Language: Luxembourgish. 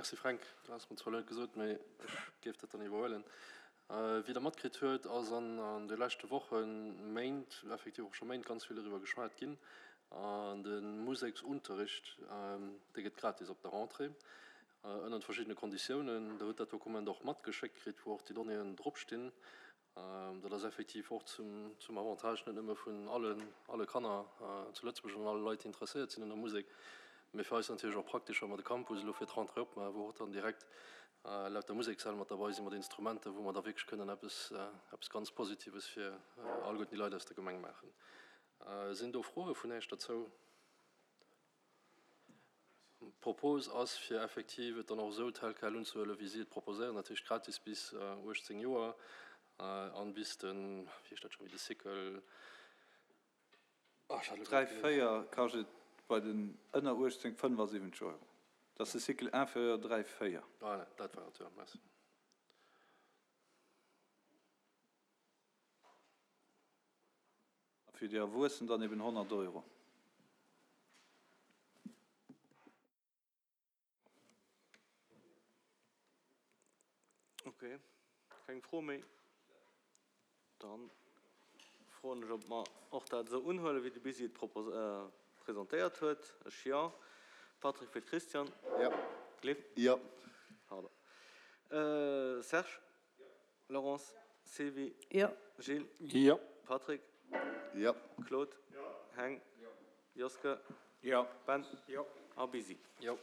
Merci Fränk, du has mer zwar elo net gesot, mee ech géif dat dann iwwerhuelen. Wéi Der matkritt huet, ass an de leschte Wochen, Méint, effektiv och scho Méint ganz vill eriwwer geschwat ginn. An de Museksunterricht, dee gëtt gratis op der Rentrée, ënnert verschiddene Konditiounen. Der hutt dat Dokument och matgeschéckt kritt, wou och déi Donnéeën dropstinn. Dat ass effektiv och zum Avantage net nëmme vun alle Kanner zu Lëtzebuerg an alle Leit, déi interesséiert sinn un der Musek, mee fir eis natierlech och praktesch, wa mer de Campus elo fir d'Rentrée opmaachen, wou och dann direkt lauter Musekssäll mat derbei sinn, mat Instrumenter, wou mer da wierklech kënnen eppes, eppes ganz Positives fir alleguerten déi Leit aus der Gemeng maachen. Sinn do Froe vun Iech derzou? D'Propos ass, fir effektiv et dann och esou tel quel unzehuelen, wéi si et proposéieren, dat heescht gratis bis 18 Joer an bis den, wéi heescht dat scho, wéi de Cycle, ah, ech hat elo grad 3, 4 kascht et bei den ënner 18 75 Euro. Dat ass de Cycle inférieur 3, 4. Voilà, dat war et, jo. Merci. A fir déi Erwuessen dann eben 100 Euro. Ok, keng Fro méi. Dann froen ech, ob mer och dat esou unhuelen, wéi de Bisi et presentéiert huet. Ech jo. Patrick fir d'Christiane. Jo. Gleef? Jo. Pardon. Serge? Laurence, Sylvie, Jo. Gilles, Jo. Patrick, Jo. Claude, Jo. Heng, Jo. Joske, Jo. Ben Jo. a Busy. Jo.